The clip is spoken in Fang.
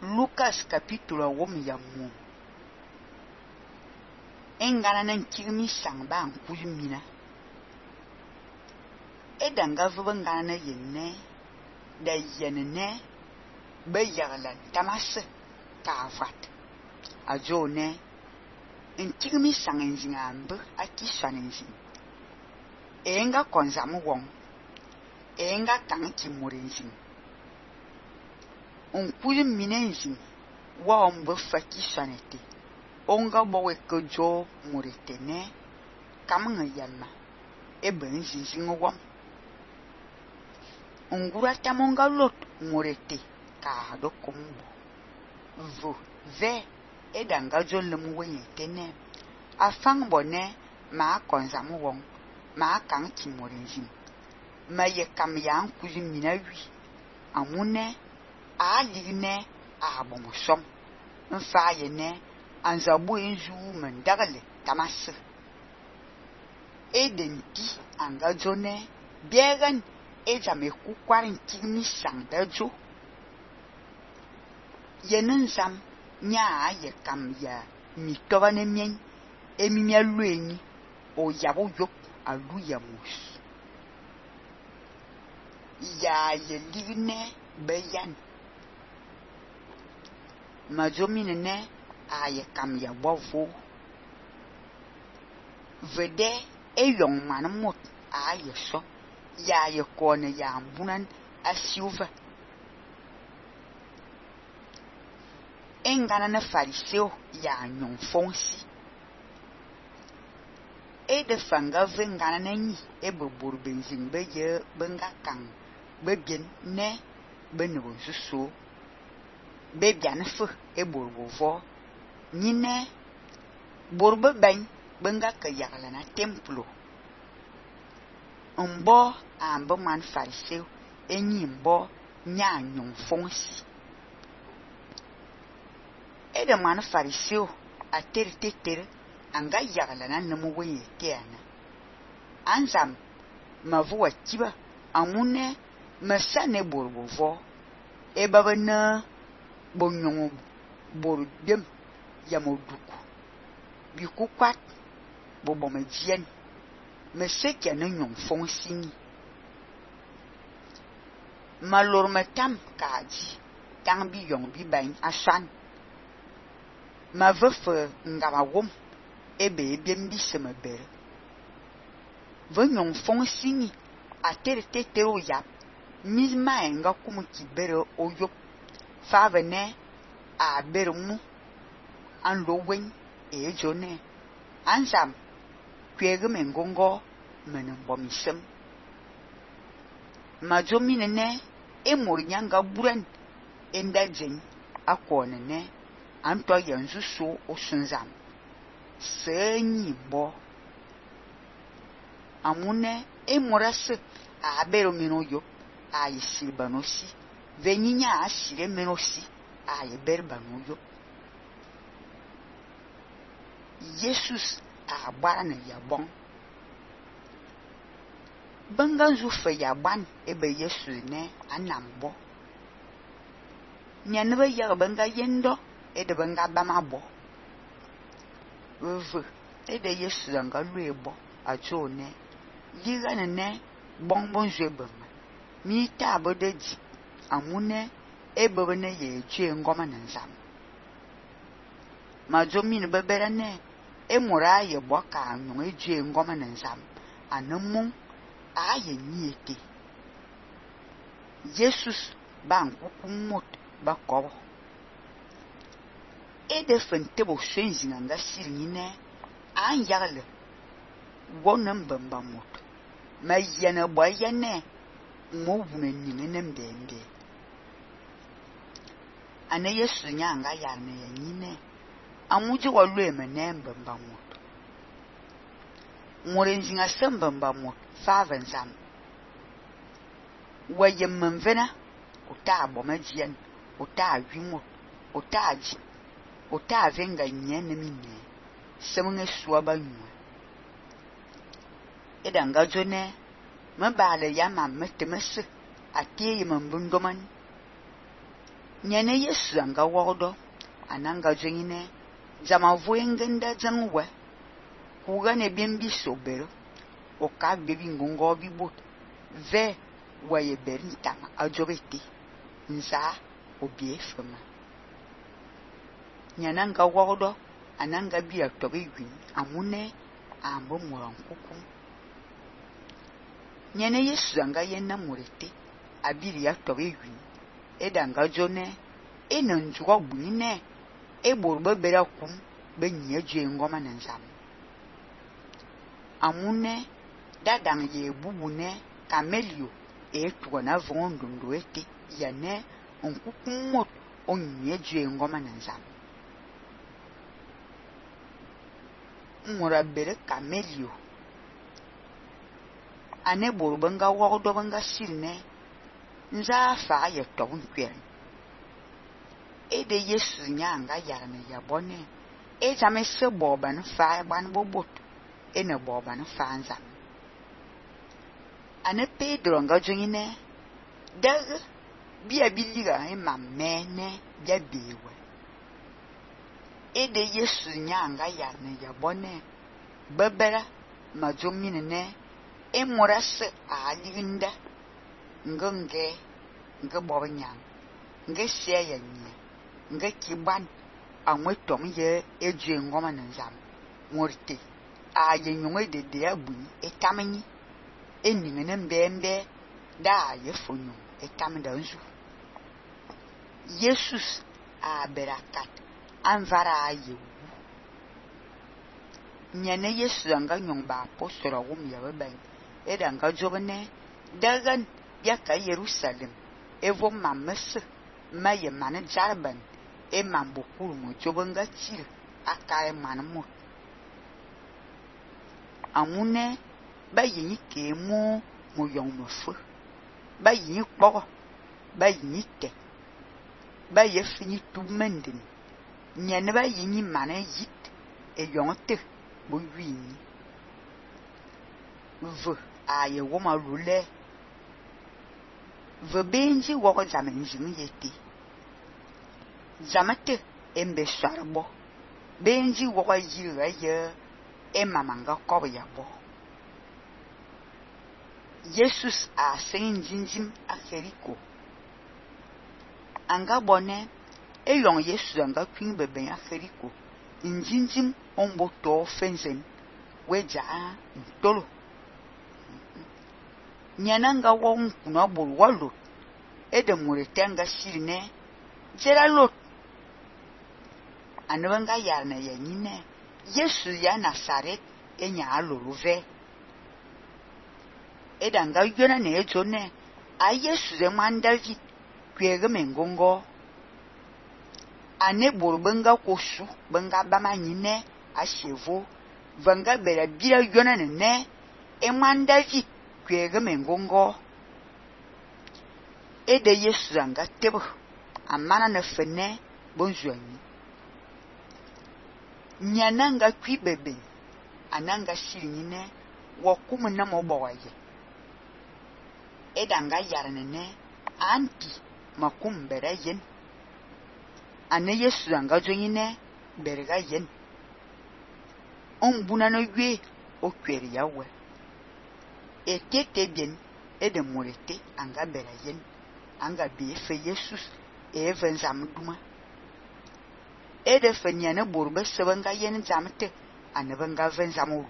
Lucas capítulo 1 ya mu. Engana nan kirmi sang ba nkuyi mina. Edanga vuba ngana na yenne da yenene be yaglan tamas kafat. Ajo ne nkirmi sang nzinga ambe akishan nzin. Enga konzamu wong. Enga kanki murinzin. Nkuyi mina nzin wa ombe fakishanete. Onga bowe kojo muritene kamnga yanma ebe nzinzin wam. Ngura tamonga lot murete ka do kumbo. Vo ve edanga jolum wenye tene. Afang bone ma konzamu wong ma kanki murinzin. Ma ye kam ya nkuyi mina wi. Amune a ligne a bomosom. Nfa ye ne anzabu enzu mendagale tamas. Edenti anga jone biegan ejame kukwarin kirmi sang dajo. Yenen zam nya ye kam ya mitoba ne mien emimia luenyi o yabo yok alu ya mus. Ya ye ligne beyan. Majomine ne a ye kam ya bovo. Vede eyong manamot a ye so. Ya ye kone ya ambunan asiuva. Engana na fariseo ya nyong fonsi. De fanga vengana na nyi ebe borbenzin be ye benga kang be bien ne be nebo suso. Be bian fe borbovo. Nyine borbe bany benga ka yagla na templo. Mbo ambe man fariseo enyi mbo nya nyong fonsi. De man fariseo a ter anga yagla na nemu wenye teana. Anzam mavuwa kiba amune masane borbovo baba na bonyongo bordem yamoduku bikukwat bobomejien mesekya na nyong fonsi. Malor matam kaji tang bi yong bi bain asan. Ma vefe ngama wom ebe ebiem bi semebere. Ve nyong fonsi ni a ter o yap. Misma enga kumu kibere o yop. Fave ne a bere mu an lo wen jone. Ansam kwege mengongo menenbomisem. Majomine ne morinyanga buren enda jen akone ne anto yanzu so osunzam. Senyi bo. Amune morase a bere meno yop a yisibanosi. Venyinya asire menosi a ye berbano yop. Jesus a bana ya bon. Banganzu fe ya ban ebe Yesu ne anambo. Nyanebe ya banga yendo de banga bamabo. Ve de Yesu anga luebo a jone. Liga ne bonbon jebema. Mi tabo de di amune ebe ne ye jwe ngoma nzam. Majomine bebere ne mora ye boka anyo jwe ngoma nzam. Anemu a ye niete. Jesus ba nkukumot ba kobo. De fentebo shenzi nga siri ne an yagle wonem bambamot. Ma yene boya ne mo wune nyine nemdende. Ane Yesu nyanga yarne ya nyine amuji walwe mene bambamot. Morenzi nga sembambamot favenzam. Waye mvena uta bomajien uta wimot uta ji uta venga nyene mine semunge suaba nywe. Edanga jone mabale yama metemese atiye mbundoman Nyene Yesu anga wodo ananga jengine jama voengenda jangwe kuga ne bimbi sobero o ka bebi ngongo bibot ve waye berintama ajobeti nza obiefema nyananga wodo ananga biya tobi gwin amune ambo moran kuku nyene Yesu anga yenna murete abiri ya tobi gwin edanga jone enanjuwa bunine eborba bera kum benye je ngoma nanzam amune dadang ye bubune kamelio tuana vondondo ete yane onkukumot onye je ngoma nanzam ngora bere kamelio ane borba nga wodo banga sirne nza fa ye tobun kwere ede Yesu nyanga yarne yabone jame se boban fa ban bobot ene boban fa nza ane Pedro nga jungine dag bia biliga mamene bia bewe ede Yesu nyanga yarne yabone babera majomine ne morase alinda ngonge nga bobanyang nga seya nye nga kiban anwetom ye eje ngoma nanzam morte aye nyongwe de abu etamenyi eningene mbembe da ye fonyo etamda nzu Jesus a berakat anvara aye nyane Yesu anga nyongba apostolo wum ya beben edanga jobne dagan yaka Jerusalem evo mamese maye mane jarban mambokuru mo jobanga chir akaye manmo amune bayi ke mo yong mo fu bayi kpo bayi te bayi fini tumendin nyane bayi ni mane yit yongte bo wini v aye woma lule v benji wo zaman jimi yeti zamate embe sharbo benji wo yira ye mamanga kobo yabo Jesus a sen jinjim a Jericho anga bone yong Yesu anga kwin beben a Jericho injinjim ombo to fenzen weja ntolo nyananga wo nkuna bol walo ede muretanga shirine jera lot anwanga yarna yanyine Yesu ya Nazaret enya aloluve edanga yona ne ejone a Yesu ze man David kwege mengongo ane borbenga kosu benga bamanyine a chevo vanga bera bira yona ne man David kwege mengongo ede Yesu anga tebo amana na fene bonjuani nyananga kwi bebe ananga shirine wakumu na mobawaye edanga yarnene anti makum bere yen ane Yesu anga jonyine berga yen ombuna no ywe okweri yawe etete bien ede morete anga bere yen anga befe Jesus even zamduma ede fenyane borbe sebanga yen zamte anebanga ven zamu